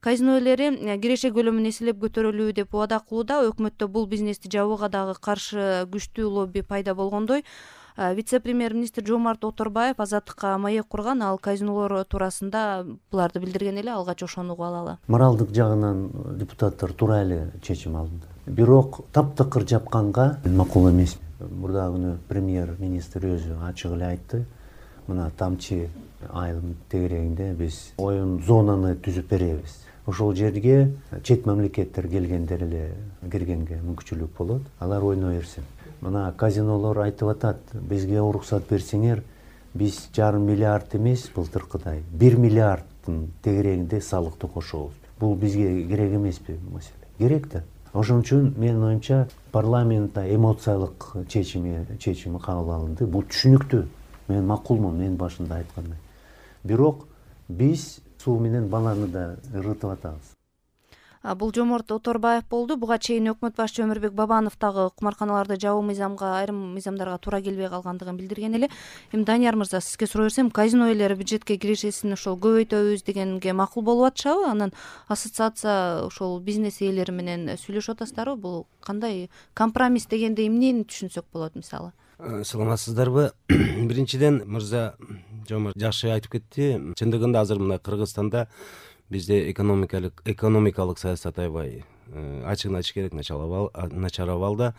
казино ээлери киреше көлөмүн эселеп көтөрөлүү деп убада кылууда. Өкмөттө бул бизнести жабууга дагы каршы күчтүү лобби пайда болгондой. Вице-премьер-министр Жомарт Оторбаев Азаттыкка маек курган, ал казинолор туурасында буларды билдирген эле. Алгач ошону угуп алалы. Моралдык жагынан депутаттар туура эле чечим алды. Бирок таптакыр жапканга макул эмес. Мурдагы күнү премьер-министр өзү ачык эле айтты. Мына тамчы айылдын тегерегинде биз оюн зонаны түзүп беребиз. Ошол жерге чет мамлекеттер келгендер эле киргенге мүмкүнчүлүк болот. Алар ойной берсин. Мына казинолор айтып атат, бизге уруксат берсеңер, биз 1,5 миллиард эмес былтыркыдай 1 миллиарддын тегерегинде салыкты кошобуз. Бул бизге керек эмеспи маселе? Керек да. Ошон үчүн менин оюмча парламентте эмоциялык чечими кабыл алынды. Бул түшүнүктүү. Мен макулмун, мен башында айткандай. Бирок биз суу менен баланы да ырытып атабыз. Бул Жомарт Оторбаев болду. Буга чейин өкмөт башчы Өмүрбек Бабанов дагы кумарканаларды жабуу айрым мыйзамдарга туура келбей калгандыгын билдирген эле. Эми Данияр мырза, сизге суроо берсем, казино ээлери бюджетке кирешесин ошол көбөйтөбүз дегенге макул болуп атышабы? Анан ассоциация ошол бизнес ээлери менен сүйлөшүп атасыздарбы? Бул кандай компромисс дегенде эмнени түшүнсөк болот мисалы? Саламатсыздарбы? Биринчиден мырза Жомарт жакшы айтып кетти. Чындыгында азыр мына Кыргызстанда бизде экономикалык саясат аябай ачыгын айтыш керек, начарап алды.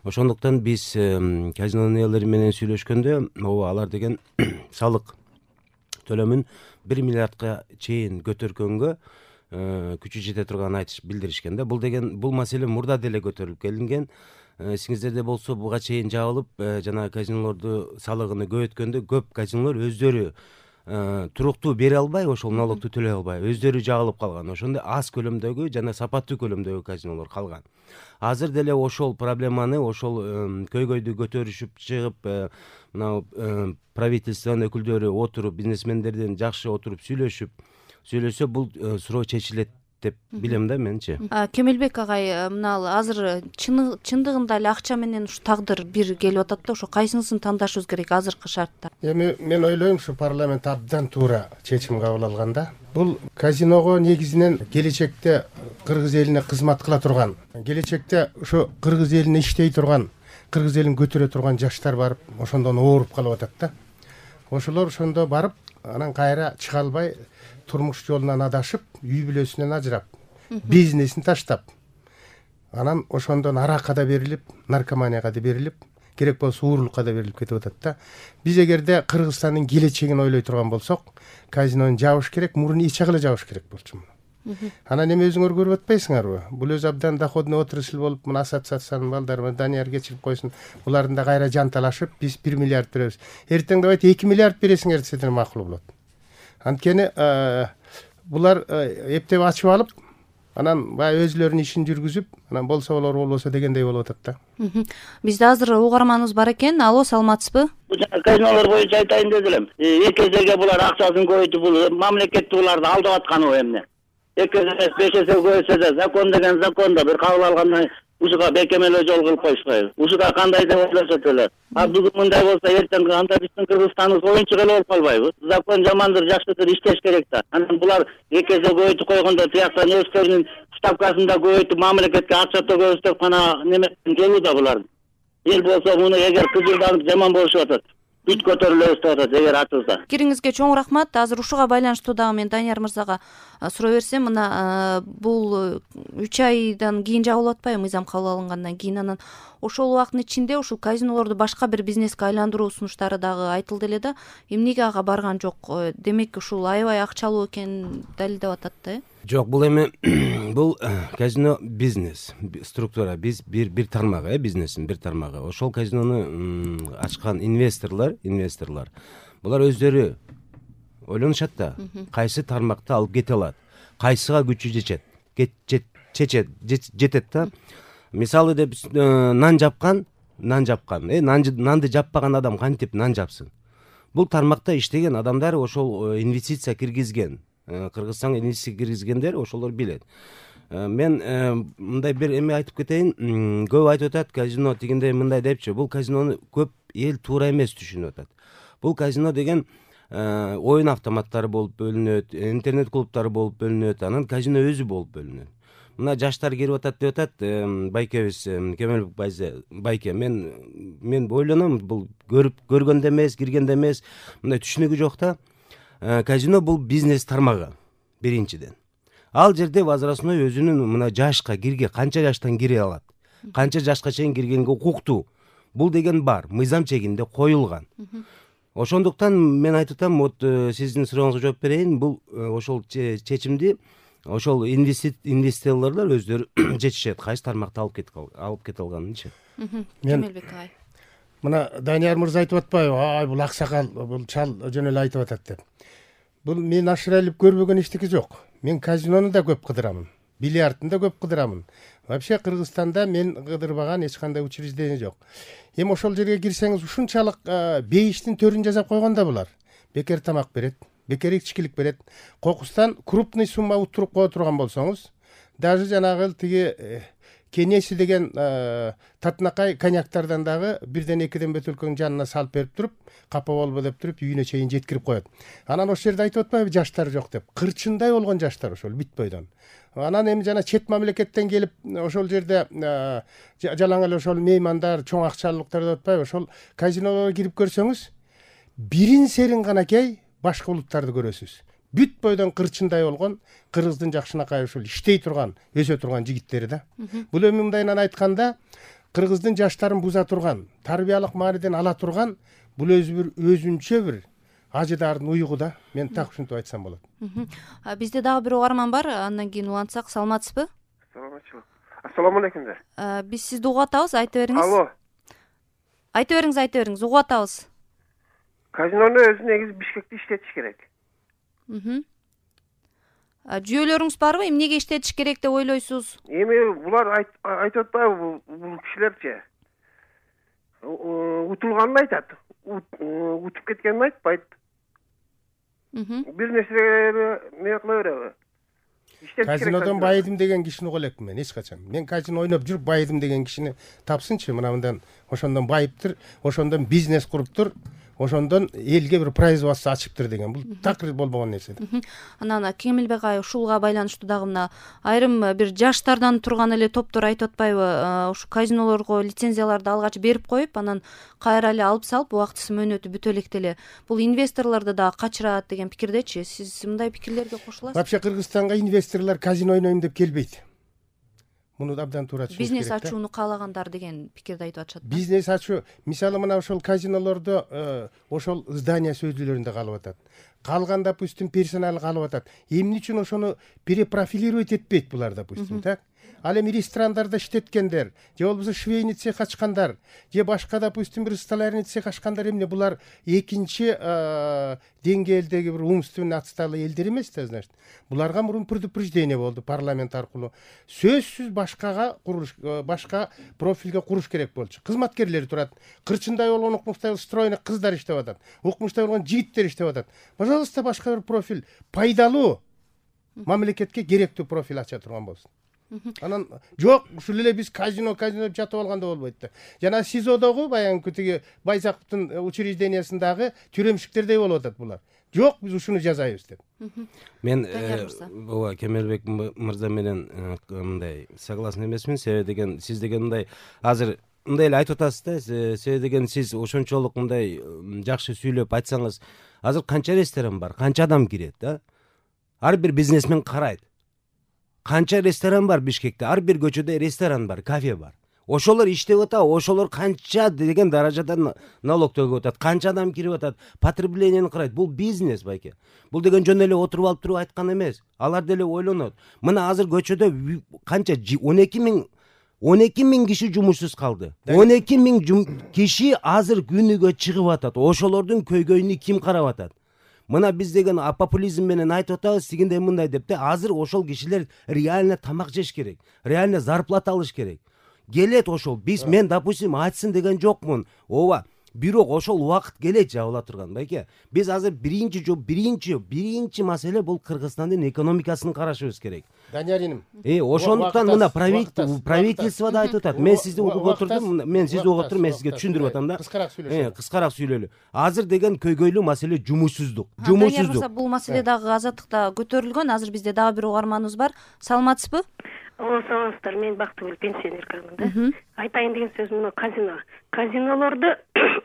Ошондуктан биз казинонун ээлери менен сүйлөшкөндө, алар деген салык төлөмүн 1 миллиардка чейин көтөргөнгө күчү жете турганын билдиришкен да. Бул маселе мурда деле көтөрүлүп келинген. Эсиңиздерде болсо, буга чейин жабылып, жана казинолорду салыгын көбөйткөндө көп казинолор өздөрү туруктуу бере албай, ошол налогду төлөй албай, өздөрү жагылып калган. Ошондой аз көлөмдөгү жана сапаттуу көлөмдөгү казинолор калган. Азыр деле ошол проблеманы, ошол көйгөйдү көтөрүшүп чыгып, мына правительствонун өкүлдөрү отуруп, бизнесмендерден жакшы отуруп сүйлөшсө, бул суроо чечилет деп билем да менчи. Кемелбек агай, мына азыр чындыгында эле акча менен ушу тагдыр бир келип атат да, ошо кайсынысын тандашыбыз керек азыркы шартта? Эми мен ойлойм, ушу парламент абдан туура чечим кабыл алган да. Бул казиного негизинен келечекте кыргыз элине кызмат кыла турган, келечекте ушу кыргыз элине иштей турган, кыргыз элин көтөрө турган жаштар барып, ошондон ооруп калып атат да. Ошолор ошондо барып, анан кайра чыга албай, турмуш жолунан адашып, үй бүлөсүнөн ажырап, бизнесин таштап, анан ошондон аракка да берилип, наркоманияга да берилип, керек болсо уурулукка да берилип кетип атат да. Биз эгерде Кыргызстандын келечегин ойлой турган болсок, казинону жабыш керек, мурун иче кыла жабыш керек болчу муну. Анан эми өзүңөр көрүп атпайсыңарбы? Бул өзү абдан доходный отрасль болуп, мына ассоциациянын балдары, Данияр кечирип койсун, булардын да кайра жанталашып, биз 1 миллиард беребиз. Эртең давайте 2 миллиард бересиңер десеңер макул болот. Анткени булар эптеп ачып алып, анан баягы өзүлөрүнүн ишин жүргүзүп, анан болсо болор, болбосо дегендей болуп атат да. Бизде азыр угарманыбыз бар экен. Алло, саламатсызбы? Казинолор боюнча айтайын дедим. Эки эсеге булар акчасын көбөйтүп, бул мамлекет буларды алдап атканы эмне? 2 эсе 5 эсе көбөйтсө да, закон деген законда бир кабыл алгандан ушуга бекемелөө жол кылып коюшпайбы? Ушуга кандай деп ойлошот эле. Бүгүн мындай болсо, эртең анда биздин Кыргызстаныбыз оюнчук эле болуп калбайбы? Закон жамандыр, жакшыдыр, иштеш керек да. Анан булар 2 эсе көбөйтүп койгондо, тияктан өздөрүнүн ставкасын да көбөйтүп, мамлекетке акча төгөбүз деп гана немеден келүү да булар. Эл болсо муну эгер кызылданып жаман болушуп атат, бүт көтөрүлөбүз деп атат эгер ачылса. Пикириңизге чоң рахмат. Азыр ушуга байланыштуу дагы мен Данияр мырзага суроо берсем, мына бул 3 айдан кийин жабылып атпайбы, мыйзам кабыл алынгандан кийин? Анан ошол убакыттын ичинде ушул казинолорду башка бир бизнеске айландыруу сунуштары дагы айтылды эле да. Эмнеге ага барган жок? Демек ушул аябай акчалуу экенин далилдеп атат да. Жок, бул эми бул казино бизнес структура, биз бир тармагы, бизнестин бир тармагы. Ошол казинону ачкан инвесторлор, булар өздөрү ойлонушат да, кайсы тармакты алып кете алат, кайсыга күчү жетет да. Мисалы деп нан жапкан, нанды жаппаган адам кантип нан жапсын? Бул тармакта иштеген адамдар ошол инвестиция киргизген, Кыргызстанга инвестиция киргизгендер ошолор билет. Мен мындай бир эме айтып кетейин. Көп айтып атат, казино дегенде мындай депчи, бул казинону көп эл туура эмес түшүнүп атат. Бул казино деген оюн автоматтары болуп бөлүнөт, интернет клубтары болуп бөлүнөт, анан казино өзү болуп бөлүнөт. Мына жаштар кирип атат деп атат байкебиз, Кемелбек байке. Мен ойлоном, бул көргөндө эмес, киргенде эмес, мындай түшүнүгү жок да. Казино бул бизнес тармагы биринчиден. Ал жерде возрастной өзүнүн мына жашка кирге, канча жаштан кире алат, канча жашка чейин киргенге укуктуу. Бул деген бар, мыйзам чегинде коюлган. Ошондуктан мен айтып атам, вот сиздин сурооңузга жооп берейин, бул ошол чечимди ошол инвесторлор өздөрү чечишет, кайсы тармакты алып кете алганынчы. Кемелбек агай. Мына Данияр мырза айтып атпайбы, ай бул аксакал, бул чал жөн эле айтып атат деп. Бул мен ашырайлып көрбөгөн эчтеке жок. Мен казинону да көп кыдырамын, бильярдын да көп кыдырамын. Вообще Кыргызстанда мен кыдырбаган эч кандай учреждение жок. Эми ошол жерге кирсеңиз ушунчалык бейиштин төрүн жасап койгонда булар. Бекер тамак берет, бекер ичкилик берет. Кокустан крупный сумма уттуруп кое турган болсоңуз, даже жанагы тиги Кенеси деген татынакай коньяктардан дагы бирден экиден бөтөлкөнүн жанына салып берип туруп, капа болбо деп туруп үйүнө чейин жеткирип коет. Анан ошол жерде айтып атпайбы, жаштар жок деп. Кырчындай болгон жаштар ошол бүт бойдон. Анан эми жана чет мамлекеттен келип ошол жерде жалаң эле ошол меймандар, чоң акчалуулуктар деп атпайбы, ошол казинолорго кирип көрсөңүз, бирин серин канакей башка улуттарды көрөсүз. Бүт бойдон кырчындай болгон, Кыргыздын жакшынакай ушул иштей турган, өсө турган жигиттери да. Бул эми мындайынан айтканда, Кыргыздын жаштарын буза турган, тарбиялык мааниден ала турган, бул өзүнчө бир ажыдардын уйгу да. Мен так ушинтип айтсам болот. Бизде дагы бир угарман бар, андан кийин улантсак. Саламатсызбы? Саламатчылык. Ассаламу алейкум. Биз сизди угуп атабыз, айта бериңиз. Алло. Айта бериңиз, угуп атабыз. Казинону өзү негизи Бишкекте иштетиш керек. Жүйөлөрүңүз барбы? Эмнеге иштетиш керек деп ойлойсуз? Эми булар айтып атпайбы, бул кишилерчи? Утулганын айтат. Утуп кеткенин айтпайт. Бир нерсе эмне кыла береби? Казинодон байыдым деген кишини угуп элекмин мен эч качан. Мен казино ойноп жүрүп байыдым деген кишини тапсынчы, мындан ошондон байыптыр, ошондон бизнес куруптур, ошондон элге бир производство ачыптыр деген. Бул такыр болбогон нерсе. Анан Кемелбек агай, ушулга байланыштуу дагы мына айрым бир жаштардан турган эле топтор айтып атпайбы, ушу казинолорго лицензияларды алгач берип коюп, анан кайра эле алып салып, убактысы мөөнөтү бүтө электе эле бул инвесторлорду дагы качырат деген пикирдечи. Сиз мындай пикирлерге кошуласызбы? Вообще Кыргызстанга инвесторлор казино ойнойм деп келбейт. Муну абдан туура түшүнүш керек. Бизнес ачууну каалагандар деген пикирди айтып атышат. Бизнес ачуу, мисалы мына ошол казинолордо ошол здание сөзүлөрүндө калып атат. Калган, допустим, персонал калып атат. Эмне үчүн ошону перепрофилировать этпейт булар, допустим, так? Ал эми ресторандарда иштеткендер, же болбосо швейный цех ачкандар, же башка, допустим, бир столярный цех ачкандар, эмне булар экинчи деңгээлдеги бир умственно отсталый элдер эмес да, значит. Буларга мурун предупреждение болду парламент аркылуу. Сөзсүз башкага курулуш, башка профилге куруш керек болчу. Кызматкерлер турат. Кырчындай болгон, укмуштай стройный кыздар иштеп атат. Укмуштай болгон жигиттер иштеп атат. Пожалуйста, башка бир профиль, пайдалуу, мамлекетке керектүү профиль ача турган болсун. Анан жок, ушул эле биз казино деп жатып алганда болбойт да. Жана СИЗОдогу баягы тиги Байзаковдун учреждениясындагы тюремщиктердей болуп атат булар. Жок, биз ушуну жазайбыз деп. Мен ооба Кемелбек мырза менен мындай согласен эмесмин. Себеби деген сиз деген мындай азыр мындай эле айтып атасыз да. Себеби деген сиз ошончолук мындай жакшы сүйлөп айтсаңыз, азыр канча ресторан бар, канча адам кирет да? Ар бир бизнесмен карайт. Канча ресторан бар Бишкекте, ар бир көчөдө ресторан бар, кафе бар. Ошолор иштеп атат, ошолор канча деген даражада налог төгүп атат, канча адам кирип атат, потреблениени карайт. Бул бизнес байке. Бул деген жөн эле отуруп алып туруп айткан эмес. Алар деле ойлонот. Мына азыр көчөдө канча 12 миң киши жумушсуз калды. 12 миң киши азыр күнүгө чыгып атат. Ошолордун көйгөйүнү ким карап атат? Мына биз деген популизм менен айтып атабыз, тигиндей мындай деп да, азыр ошол кишилер реально тамак жеш керек, реально зарплата алыш керек. Келет ошол. Мен, допустим, айтсын деген жокмун. Ооба, бирок ошол убакыт келет жабыла турган байке. Биз азыр биринчи маселе бул Кыргызстандын экономикасын карашыбыз керек. Данияр иним, Ошондуктан мына правительство да айтып атат. Мен сизди угуп отурдум, мен сизге түшүндүрүп атам да. Кыскараак сүйлөлү. Азыр деген көйгөйлүү маселе жумушсуздук. Бул маселе дагы Азаттыкта көтөрүлгөн. Азыр бизде дагы бир угарманыбыз бар. Саламатсызбы? Саламатсыздар, мен Бактыгүл пенсионеркамын да. Айтайын деген сөзүм мына казинолорду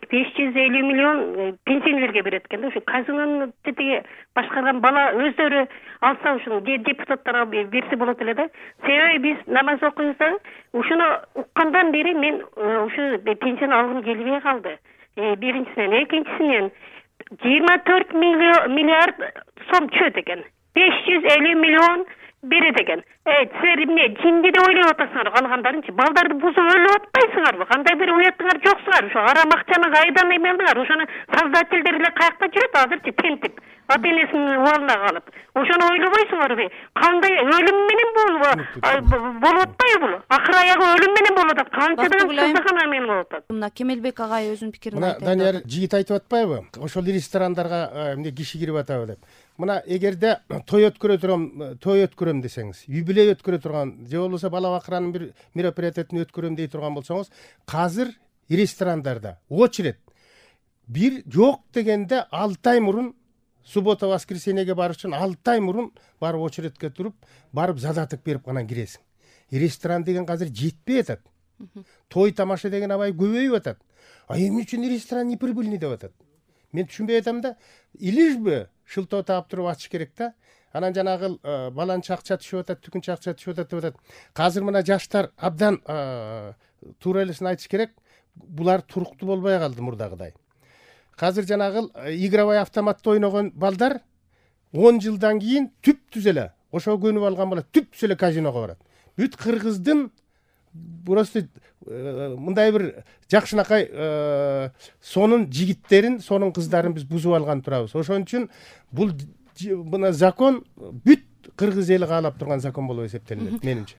550 миллион пенсионерге берет экен да. Ушу казинону тетиги башкарган бала өздөрү алса, ушуну депутаттарга берсе болот эле да. Себеби биз намаз окуйбуз да. Ушуну уккандан бери мен ушу пенсияны алгым келбей калды. Биринчисинен, экинчисинен 24 миллиард сом чөт экен. 550 миллион берет экен. Силер эмне жинди деп ойлоп атасыңар, калгандарынчы балдарды бузуп өлүп атпайсыңарбы? Кандай бир уятыңар жоксуңар? Ошо арам акчаны кайдан эмелдиңар? Ошону создательдер эле каякта жүрөт азырчы тентип, ата-энесинин убалына калып. Ошону ойлобойсуңарбы? Кандай өлүм менен болуп атпайбы бул? Акыры аягы өлүм менен болуп атат. Канчадан кызыкана менен болуп атат. Мына Кемелбек агай өзүнүн пикирин айтты. Мына Данияр жигит айтып атпайбы? Ошол ресторандарга эмне киши кирип атабы деп. Мына эгерде той өткөрөм десеңиз, юбилей өткөрө турган же болбосо бала бакыранын бир мероприятиятын өткөрөм дей турган болсоңуз, азыр ресторандарда очередь бир жок дегенде 6 ай мурун, суббота воскресеньеге барыш үчүн 6 ай мурун барып очередке туруп, барып задаток берип анан киресиң. Ресторан деген азыр жетпей атат. Той тамаша деген абай көбөйүп атат. Эмне үчүн ресторан неприбыльный деп атат? Мен түшүнбөй атам да. Илишби шылтоо таап туруп ачыш керек да. Анан жанагы баланча акча түшүп атат, түкүнчө акча түшүп атат деп атат. Азыр мына жаштар абдан туура элесин айтыш керек. Булар туруктуу болбой калды мурдагыдай. Азыр жанагы игровой автоматты ойногон балдар 10 жылдан кийин түптүз эле ошого көнүп алган бала түптүз эле казиного барат. Бүт Кыргыздын просто мындай бир жакшынакай сонун жигиттерин, сонун кыздарын биз бузуп алган турабыз. Ошон үчүн бул мына закон бүт Кыргыз эли каалап турган закон болуп эсептелинет менимче.